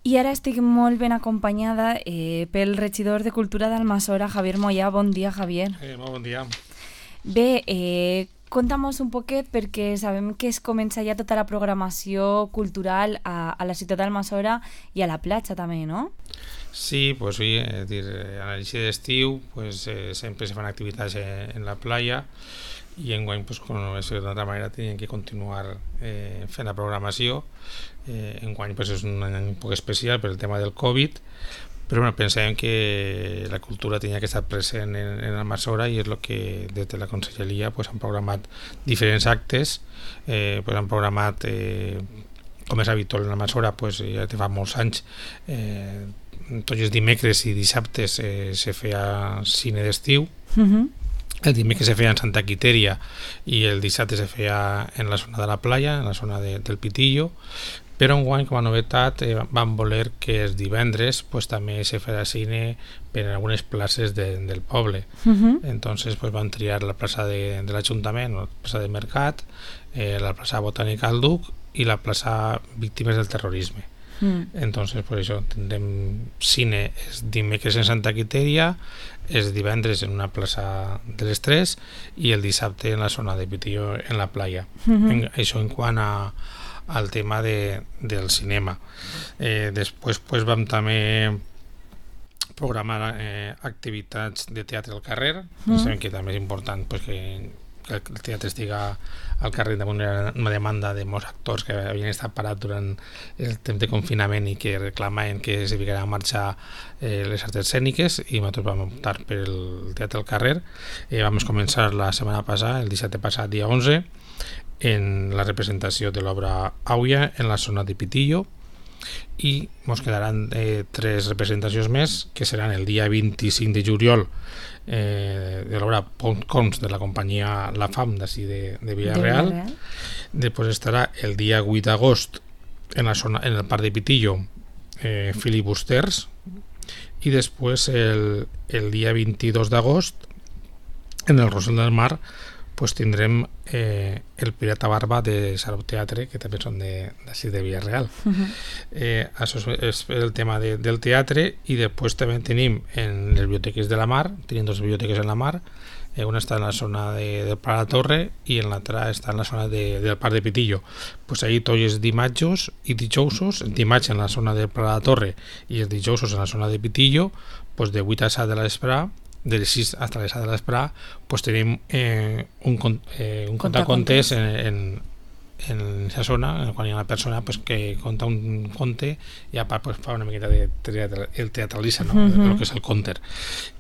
I ara estic molt ben acompanyada pel regidor de Cultura d'Almassora, Javier Moyà. Bon dia, Javier. Molt bon dia. Bé, conta'm-nos un poquet, perquè sabem que es comença ja tota la programació cultural a la ciutat d'Almassora i a la platja també, no? Sí, pues sí, a l'inici d'estiu sempre se fan activitats en la playa i enguany, com no és d'altra manera, tenien que continuar fent la programació. Enguany és un any un poc especial per el tema del Covid, però pensàvem que la cultura tenia que estar present en Almassora i és el que des de la Conselleria han programat diferents actes. Han programat, com és habitual en Almassora, ja fa molts anys, tots els dimecres i dissabtes se feia cine d'estiu. El dimecres se feia en Santa Quitèria i el dissabte se feia en la zona de la playa, en la zona del Pitillo, però enguany, com a novetat, vam voler que els divendres també se farà cine per algunes places del poble. Entonces vam triar la plaça de l'Ajuntament, la plaça de Mercat, la plaça Botànica al Duc i la plaça Víctimes del Terrorisme. Entonces, per això tindrem cine els dimecres en Santa Quitèria, els divendres en una plaça de les 3 i el dissabte en la zona de Pitillo, en la playa. Això en quant al tema del cinema. Després vam també programar activitats de teatre al carrer. Sabem que també és important que el teatre estiga al carrer damunt una demanda de molts actors que havien estat parats durant el temps de confinament i que reclamaven que se ficaran en marxa les arts escèniques, i nosaltres vam optar per el teatre al carrer. Vam començar la setmana passada, el dissabte passat, dia 11, en la representació de l'obra Àuia en la zona de Pitillo, i ens quedaran 3 representacions més, que seran el dia 25 de juliol de l'obra Pontcons de la companyia La Fam d'ací de Villarreal. Després estarà el dia 8 d'agost en el parc de Pitillo Filibusters, i després el dia 22 d'agost en el Rosell del Mar tindrem el Pirata Barba de Sarau Teatre, que també són d'ací de Villarreal. Això és el tema del teatre. I després també tenim en les biblioteques de la Mar, tenim 2 biblioteques en la Mar, una està en la zona del Pla de la Torre i l'altra està en la zona del Parc de Pitillo. Ahí tots els dimarts i dijous, el dimarts en la zona del Pla de la Torre i els dijous en la zona de Pitillo, de 8 a 7 de l'espre, de les 6 fins a les 7 de l'espre, tenim un contacontes en aquesta zona, quan hi ha una persona que conta un conte i a part fa una miqueta de teatralitza, el que és el conter.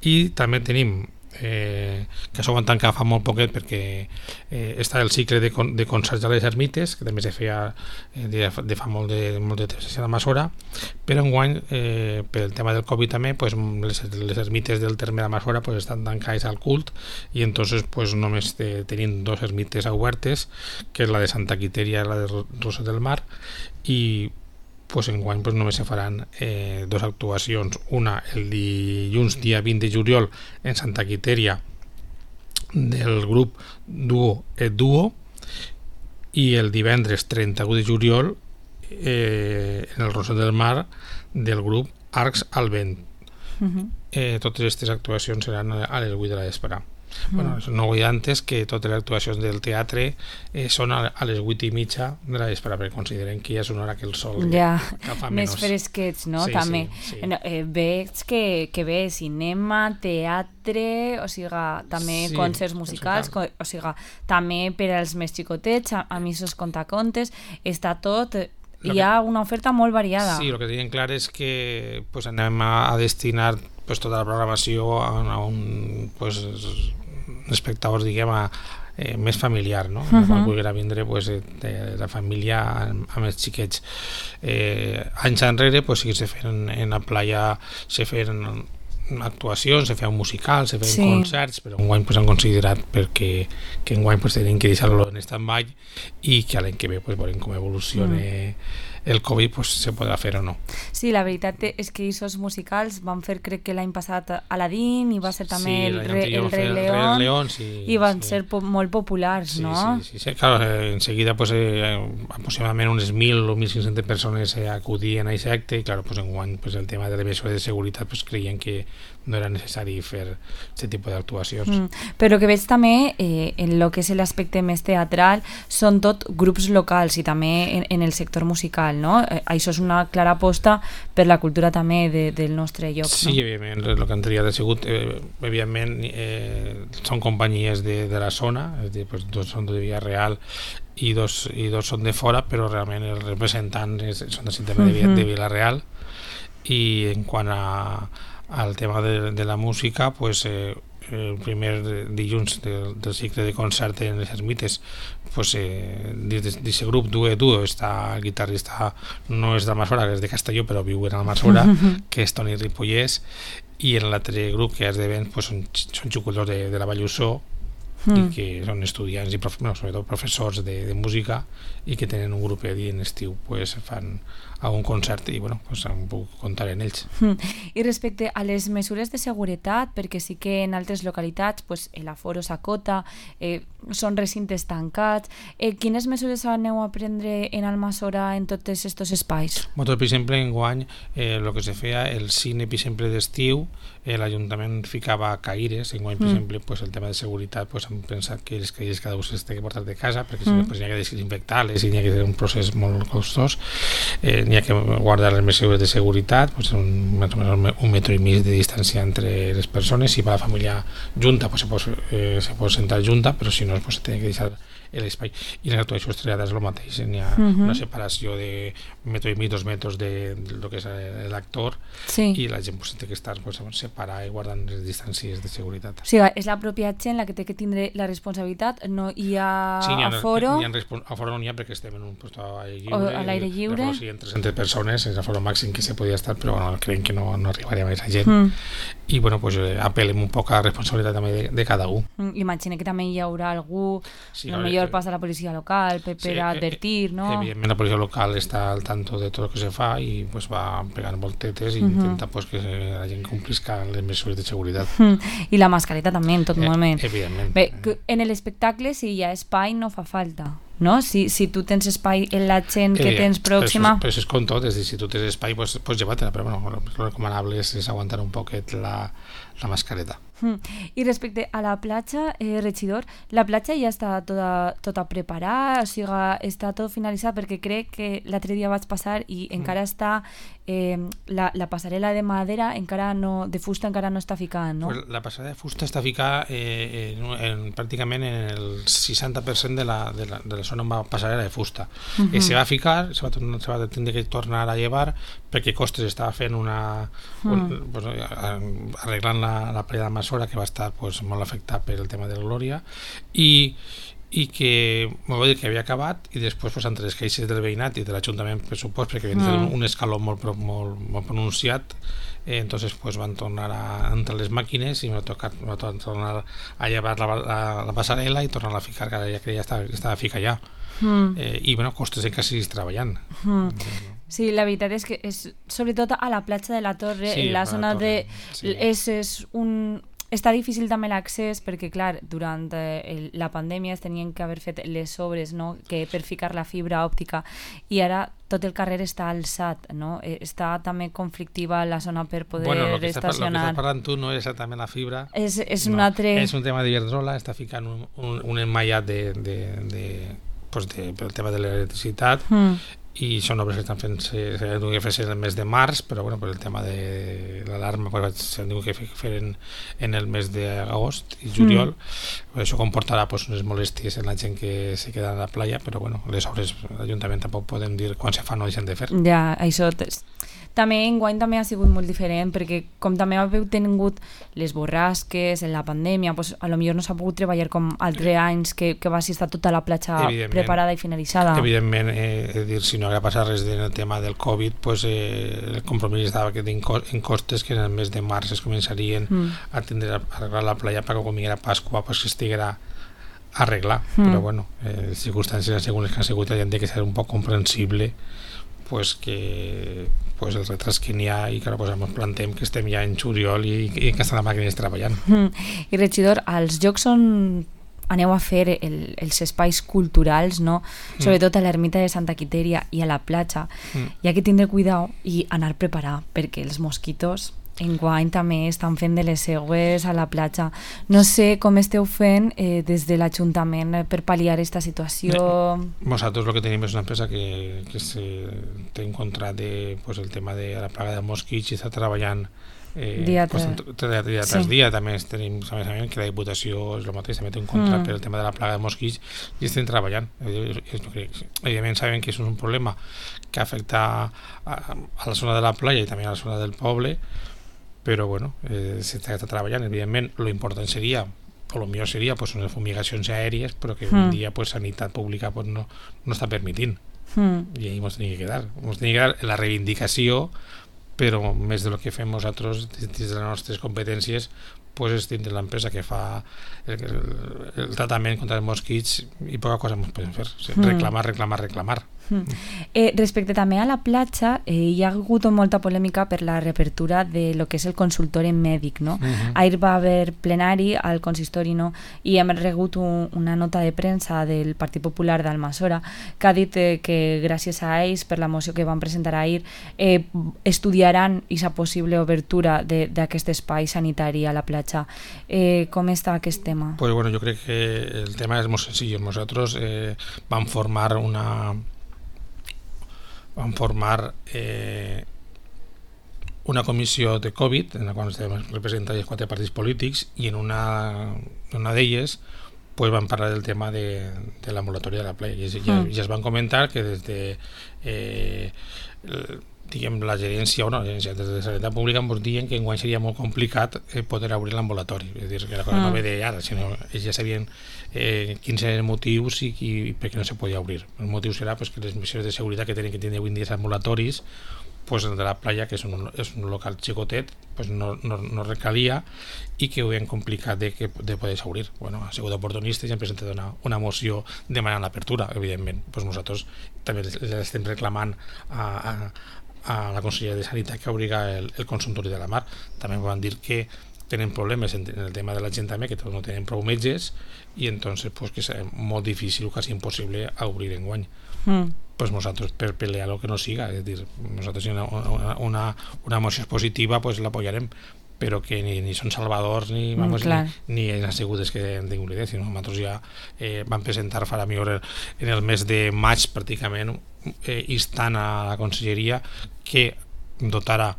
I també tenim que això ho van tancar fa molt poquet perquè està el cicle de concerts a les ermites, que també se feia de fa molt de temps a Almassora, però enguany pel tema del Covid també les ermites del terme d'Almassora estan tancades al cult, i entonces només tenim 2 ermites obertes, que és la de Santa Quitèria i la de Rosell del Mar, i enguany només se faran 2 actuacions, una el dilluns dia 20 de juliol en Santa Quitèria del grup Duo et Duo, i el divendres 31 de juliol en el Rosell del Mar del grup Arcs al Vent. Totes aquestes actuacions seran a les 8 de la vespre. No vull dir antes que totes les actuacions del teatre són a les 8:30 de la vespre, perquè consideren que ja és una hora que el sol agafa menys. Més fresquets, no? Sí, també. sí. Veig que ve cinema, teatre, o sigui, també concerts musicals, o sigui, també per als més xicotets, a mi sos contacontes, està tot. Hi ha una oferta molt variada. Sí, el que tenim clar és que anem a destinar tota la programació a un espectadors, diguem, més familiar, no? Quan vulguin vindre la família amb els xiquets. Anys enrere sí que se feien en la playa, se feien actuacions, se feien musicals, se feien concerts, però enguany han considerat que enguany tenim que deixar-lo en stand-by i que l'any que ve veurem com evoluciona el Covid, se podrà fer o no. Sí, la veritat és que aquests musicals van fer, crec que l'any passat, Aladdin, i va ser també el Rei León, i van ser molt populars, no? Sí, claro, enseguida pues, aproximadament unes 1.000 o 1.500 persones acudien a aquest acte, i claro, pues, enguany pues, el tema de les mesures de seguretat pues, creien que no era necessari fer aquest tipus d'actuacions. Però que veig també en el que és l'aspecte més teatral són tot grups locals i també en el sector musical, no? Això és una clara aposta per la cultura també del nostre lloc. Sí, no? Evidentment, el que han triat ha sigut, evidentment, són companyies de la zona, és a dir, pues, dos són de Villarreal i dos són de fora, però realment els representants són de Villarreal. I en quant al tema de la música, pues, el primer dilluns del cicle de concert en les ermites, pues, d'aquest grup Duo està el guitarrista, no és d'Almassora, és de Castelló, però viu en Almassora, que és Toni Ripollès, i en l'altre grup que és de vent pues, són xuculadors de la Vallussó, i que són estudiants i sobretot professors de música, i que tenen un grup i en estiu pues, fan algun concert i pues, em puc comptar en ells. I respecte a les mesures de seguretat, perquè sí que en altres localitats pues, l'aforo s'acota, són recintes tancats, quines mesures aneu a prendre en Almassora en tots aquests espais? Nosaltres, per exemple, enguany el que se feia, el cine, per exemple, d'estiu, l'Ajuntament ficava caires, enguany, per exemple, pues, el tema de seguretat, pues, hem pensat que les caires cada un s'ha de portar de casa, perquè si no pues, n'hi ha que desinfectar-les i n'hi ha que fer un procés molt costós, n'hi ha que guardar les mesures de seguretat, pues, un metro i mig de distància entre les persones. Si va la família junta, pues, se pot sentar junta, però si no, pues, se té que deixar l'espai. I les actuacions triades és el mateix, n'hi ha una separació de metro i mig, 2 metres de lo que és l'actor, i la gent pues, té que estar pues, separar i guardant les distàncies de seguretat. O sigui, és la pròpia gent la que té que tindre la responsabilitat, no hi ha aforo? Aforo no n'hi ha perquè estem en un lloc a l'aire lliure. O sigui, entre 300 persones és l'aforo màxim que se podia estar, però bueno, creiem que no arribaria a aquesta gent. I bueno, pues, apel·lem un poc a la responsabilitat també de cada un. Imagina que també hi haurà algú, millor passa a la policia local per advertir, no? Evidentment la policia local està al tanto de tot el que se fa i pues, va pegant voltetes i intenta pues, que la gent complisca les mesures de seguretat. I la mascareta també en tot moment. Evidentment. Bé, en l'espectacle si hi ha espai no fa falta, no? Si tu tens espai en la gent que tens pròxima... Però és com tot, és dir, si tu tens espai pues lleva-te-la, però bueno, lo recomanable és aguantar un poquet la mascareta. I respecte a la platja, regidor, la platja ja està tota preparada, o sigui, està tot finalitzat, perquè crec que l'altre dia vaig passar i encara està la passarel·la de madera, de fusta encara no està ficada, no? Pues la passarel·la de fusta està ficada pràcticament en el 60% de la zona amb passarel·la de fusta. Se va ficar, se va tindre que tornar a llevar perquè Costes estava fent arreglant la playa de Almassora, que va estar pues, molt afectat per el tema de la Glòria, i que m'ho va dir que havia acabat, i després pues, entre les queixes del veïnat i de l'Ajuntament, per supost, perquè havien fet un escaló molt pronunciat, entonces pues, van tornar a entrar les màquines i m'ha tocat tornar a llevar la passarel·la i tornar a ficar, que ja estava ficat ja. I bueno, Costes encara seguís treballant. Sí, la veritat és que sobretot a la platja de la Torre, en la zona de... Està difícil també l'accés perquè, clar, durant la pandèmia es tenien que haver fet les obres, no?, que per ficar la fibra òptica, i ara tot el carrer està alçat, no? Està també conflictiva la zona per poder estacionar. Lo que estàs parlant tu no és exactament la fibra. És un altre... És un tema d'Iberdrola, està ficant un emmallat pel tema de l'electricitat, i són obres que estan fent s'han de fer el mes de març, però bueno, per el tema de l'alarma s'han de fer en el mes d'agost i juliol. Això comportarà pues, unes molèsties en la gent que se queda a la playa, però bueno, les obres l'Ajuntament tampoc podem dir quan se fan o deixen de fer. Ja, això també enguany també ha sigut molt diferent, perquè com també heu tingut les borrasques en la pandèmia, pues, a lo millor no s'ha pogut treballar com altres anys que va estar tota la platja preparada i finalitzada. Evidentment, si no hagués passat res en el tema del Covid, pues, el compromís estava en Costes que en el mes de març es començarien a arreglar la playa perquè quan vinguera Pasqua pues, que estiguera arreglar, però bueno, les circumstàncies segons les que han sigut, ja han de ser un poc comprensible pues que pues el retras que n'hi ha i que pues, ens plantem que estem ja en juliol i que estan les màquines treballant. I regidor, als jocs on aneu a fer els espais culturals, no? Sobretot a l'ermita de Santa Quitèria i a la platja, hi ha que tindre cuidado i anar preparat, perquè els mosquitos enguany també estan fent de les seues a la platja. No sé com esteu fent des de l'Ajuntament per pal·liar aquesta situació. Nosaltres el que tenim és una empresa que té en contrat pues, el tema de la plaga de mosquits i està treballant dia tras dia. També tenim que la Diputació és el mateix, també té un contrat per el tema de la plaga de mosquits i estem treballant. Evidentment sabem que és un problema que afecta a la zona de la platja i també a la zona del poble, però bueno, s'està treballant. Evidentment lo important seria o el millor seria pues, unes fumigacions aèries, però que un dia pues, Sanitat Pública pues, no està permitint i ahí ens tenim que quedar la reivindicació, però més del que fem nosaltres des de les nostres competències pues, és tindre l'empresa que fa el tractament contra els mosquits i poca cosa ens podem fer, reclamar. Respecte també a la platja, hi ha hagut molta polèmica per la reapertura de lo que és el consultori mèdic, no? Ahir va haver plenari al consistori, no? I hem rebut una nota de premsa del Partit Popular d'Almassora que ha dit que gràcies a ells, per la moció que van presentar ahir, estudiaran aquesta possible obertura d'aquest espai sanitari a la platja. Com està aquest tema? Pues bueno, jo crec que el tema és molt senzill. Nosaltres vam formar una comissió de Covid en la qual estem representats els 4 partits polítics i en una d'elles pues, van parlar del tema de la moratòria de la platja i ja es van comentar que des de diguem la gerència des de Sanitat Pública ens diuen que enguany seria molt complicat poder obrir l'ambulatori, és a dir, que la cosa no ve d'ara, sinó ells ja sabien quins eren els motius i per què no se podia obrir. El motiu serà pues, que les mesures de seguretat que tenen que tenir avui en dia els ambulatoris pues, de la platja, que és un local xicotet, pues, no recalia i que ho havien complicat de poder obrir. Bueno, ha sigut oportunistes i han presentat una moció demanant l'apertura, evidentment. Pues nosaltres també l'estem reclamant a la Conselleria de Sanitat que obliga el consultori de la Mar. També van dir que tenen problemes en el tema de la gent també, que tots no tenen prou metges i entonces pues, que és molt difícil o quasi impossible obrir enguany. Pues nosaltres per pelear el que no siga, és dir, nosaltres si una moció positiva pues l'apoyarem, però que ni són salvadors ni en assegudes que han tingut l'idea, sinó nosaltres ja vam presentar farà millor en el mes de maig pràcticament instant a la Conselleria que dotara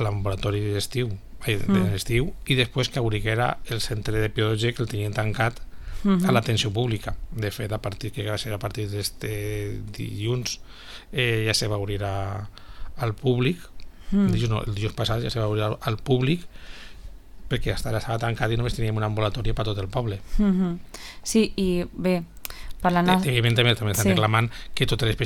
l'ambulatori d'estiu i després que obriguera el centre de P12 que el tenien tancat a l'atenció pública. De fet, a partir d'este dilluns ja se va obrir al públic. El dijous passat ja se va obrir al públic perquè hasta ara estava tancat i només teníem un ambulatori per tot el poble. Sí, i bé, evidentment també estan reclamant que totes les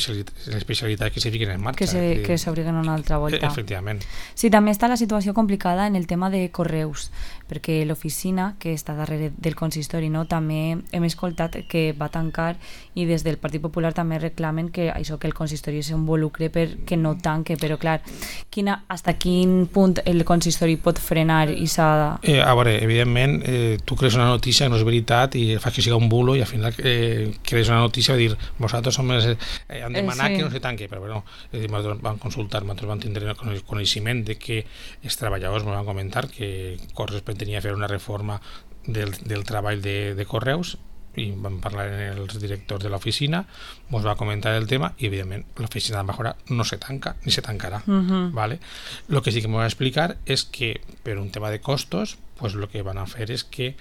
especialitats que se fiquen en marxa que s'obriguen una altra volta. Efectivament. Sí, també està la situació complicada en el tema de correus, perquè l'oficina que està darrere del consistori, no, també hem escoltat que va tancar i des del Partit Popular també reclamen que això, que el consistori s'involucre perquè no tanque, però clar, hasta quin punt el consistori pot frenar i s'ha... A veure, evidentment tu crees una notícia que no és veritat i fas que siga un bulo i al final crees una notícia i dir, vosaltres han demanat que no se tanque, però bueno, nosaltres vam consultar, nosaltres vam tindre el coneixement de que els treballadors ens van comentar que Corres tenia a fer una reforma del treball de correus i vam parlar amb els directors de l'oficina, ens va comentar el tema i evidentment l'oficina de Mejora no se tanca ni se tancarà. ¿Vale? Lo que sí que me va a explicar és que per un tema de costos pues lo que van a fer és que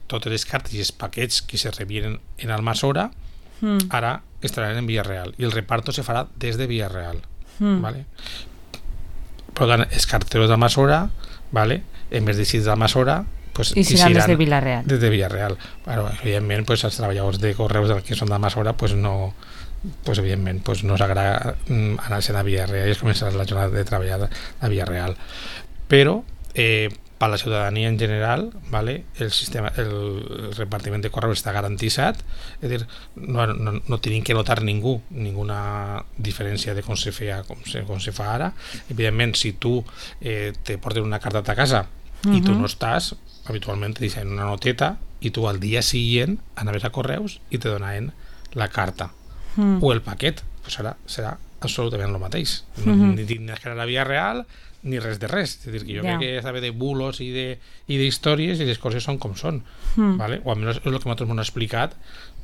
totes les cartes i els paquets que se rebien en Almassora ara estaran en Villarreal i el reparto se farà des de Villarreal. ¿Vale? Per tant, els carteros d'Almassora, ¿vale? En vez de ser d'Almassora pues, i seran des de Villarreal. Des de Villarreal. Bueno, evidentment, pues, els treballadors de correus que són d'Almassora pues, no, pues, evidentment, pues, no s'agrada anar-se'n a Villarreal i es començarà la jornada de treballar a Villarreal. Però per la ciutadania en general, ¿vale? El repartiment de correus està garantitzat, és a dir, no tenim que notar ninguna diferència de com se fa ara. Evidentment, si tu te portes una carta a casa i tu no estàs, habitualment te deixen una noteta i tu al dia següent anaves a correus i te donaven la carta o el paquet, pues serà absolutament el mateix. Ni tindràs que anar a la via real ni res de res. És a dir, que jo crec que saber de bulos i d'històries i les coses són com són, ¿vale? O almenys és el que nosaltres m'han explicat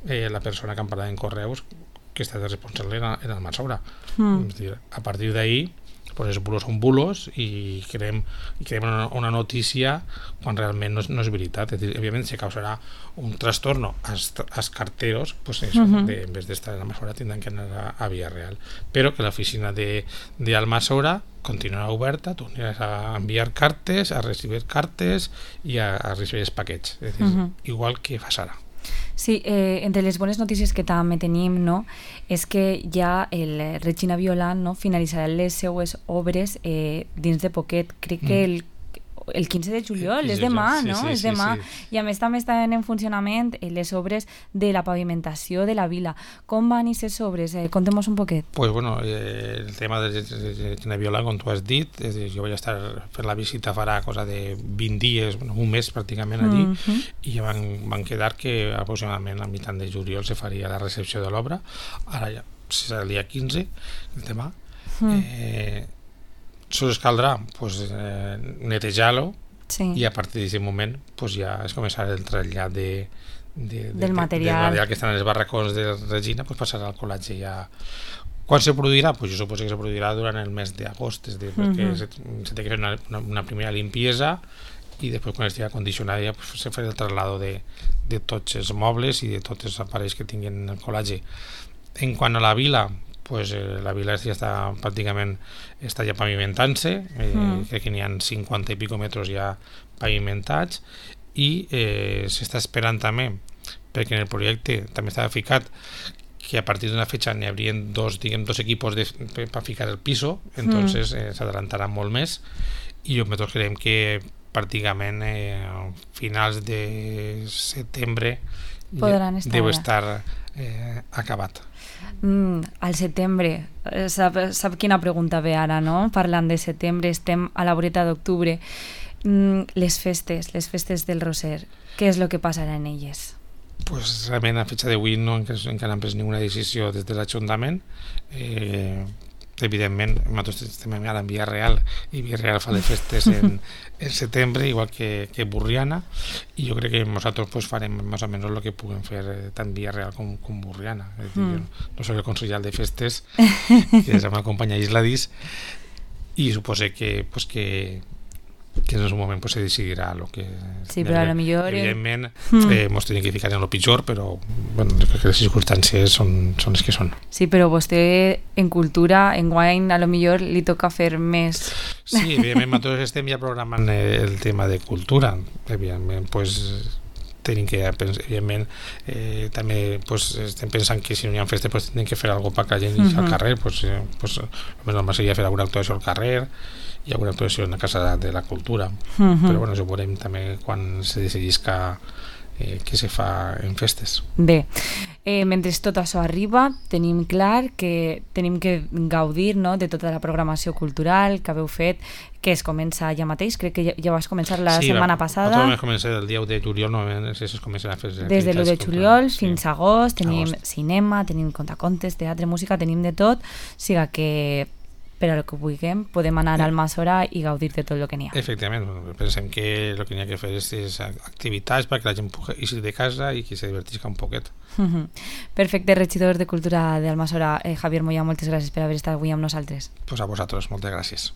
la persona que em parlava en correus, que està de responsable en el Almassora. És dir, a partir d'ahí, pues els bulos són bulos i creem una notícia quan realment no és veritat. És dir, evidentment se causarà un trastorno als carteros, pues eso, en vez d'estar en Almassora tindran que anar a via real, però que l'oficina d'Almassora continuarà oberta, tu aniràs a enviar cartes, a recibir cartes i a recibir els paquets, és dir, igual que fas ara. Sí, entre les bones notícies que també tenim, no, és que ja el Regina Violant, no, finalitzarà les seues obres dins de poquet. Crec que el 15 de juliol, és demà, no? És demà. I a més també estan en funcionament les obres de la pavimentació de la vila. Com van aquestes obres? Contem-nos un poquet. Pues bueno, el tema de Regina Violant, com tu has dit, jo vaig estar fent la visita farà cosa de 20 dies, un mes pràcticament allí, i ja van quedar que aproximadament a mitjan de juliol se faria la recepció de l'obra. Ara ja serà el dia 15, el demà. Sols caldrà netejar-lo i a partir d'aquest moment ja es començarà el trasllat del material que està en els barracons de Regina, passarà al colatge ja. Quan se produirà? Jo suposo que se produirà durant el mes d'agost, és a dir, perquè se té que fer una primera limpiesa i després quan estigui condicionada ja se farà el traslado de tots els mobles i de tots els aparells que tinguin el colatge. En quant a la vila, la vila ja està pràcticament ja pavimentant-se, crec que n'hi ha 50 i pico metres ja pavimentats i s'està esperant també, perquè en el projecte també estava ficat que a partir d'una fecha n'hi haurien dos equipos per ficar el piso, entonces s'adelantarà molt més i nosaltres creiem que pràcticament a finals de setembre deu estar acabat. Al setembre, sap quina pregunta ve ara, no? Parlant de setembre, estem a la voreta d'octubre. Les festes del Roser, què és el que passarà en elles? Pues realment a fecha d'avui encara han pres ninguna decisió des de l'Ajuntament. Evidentment, nosaltres estem ara en Via Real i Via Real fa les festes en setembre, igual que Burriana, i jo crec que nosaltres farem més o menys el que puguem fer tant Via Real com Burriana. No soc el consellal de festes, que és amb la companya Isladis, i supose que en el moment se decidirà el que... Sí, però a lo millor... Evidentment, ens tenim que ficar en el pitjor, però crec que les circumstàncies són les que són. Sí, però vostè en cultura, en guany, a lo millor li toca fer més... Sí, evidentment, nosaltres estem ja programant el tema de cultura. Evidentment, tenim que, evidentment, també estem pensant que si no hi ha festes tenim que fer alguna cosa perquè la gent al carrer, el normal seria fer alguna actuació al carrer i alguna actuació en la Casa de la Cultura, però això ho veurem també quan se decidisca què se fa en festes. Bé, mentre tot això arriba, tenim clar que tenim que gaudir, no, de tota la programació cultural que haveu fet, que es comença ja mateix, crec que ja vas començar la setmana passada. Sí, vam començar el dia 1 de juliol, es comencen a fer... Des de l'1 de juliol fins a agost, tenim cinema, tenim contacontes, teatre, música, tenim de tot, siga que per a el que vulguem, podem anar al Almassora i gaudir de tot el que n'hi ha. Efectivament, pensem que el que n'hi ha que fer és activitats perquè la gent pugui eixir de casa i que se divertisca un poquet. Perfecte, regidor de Cultura d'Almassora, Javier Moya, moltes gràcies per haver estat avui amb nosaltres. Pues a vosaltres, moltes gràcies.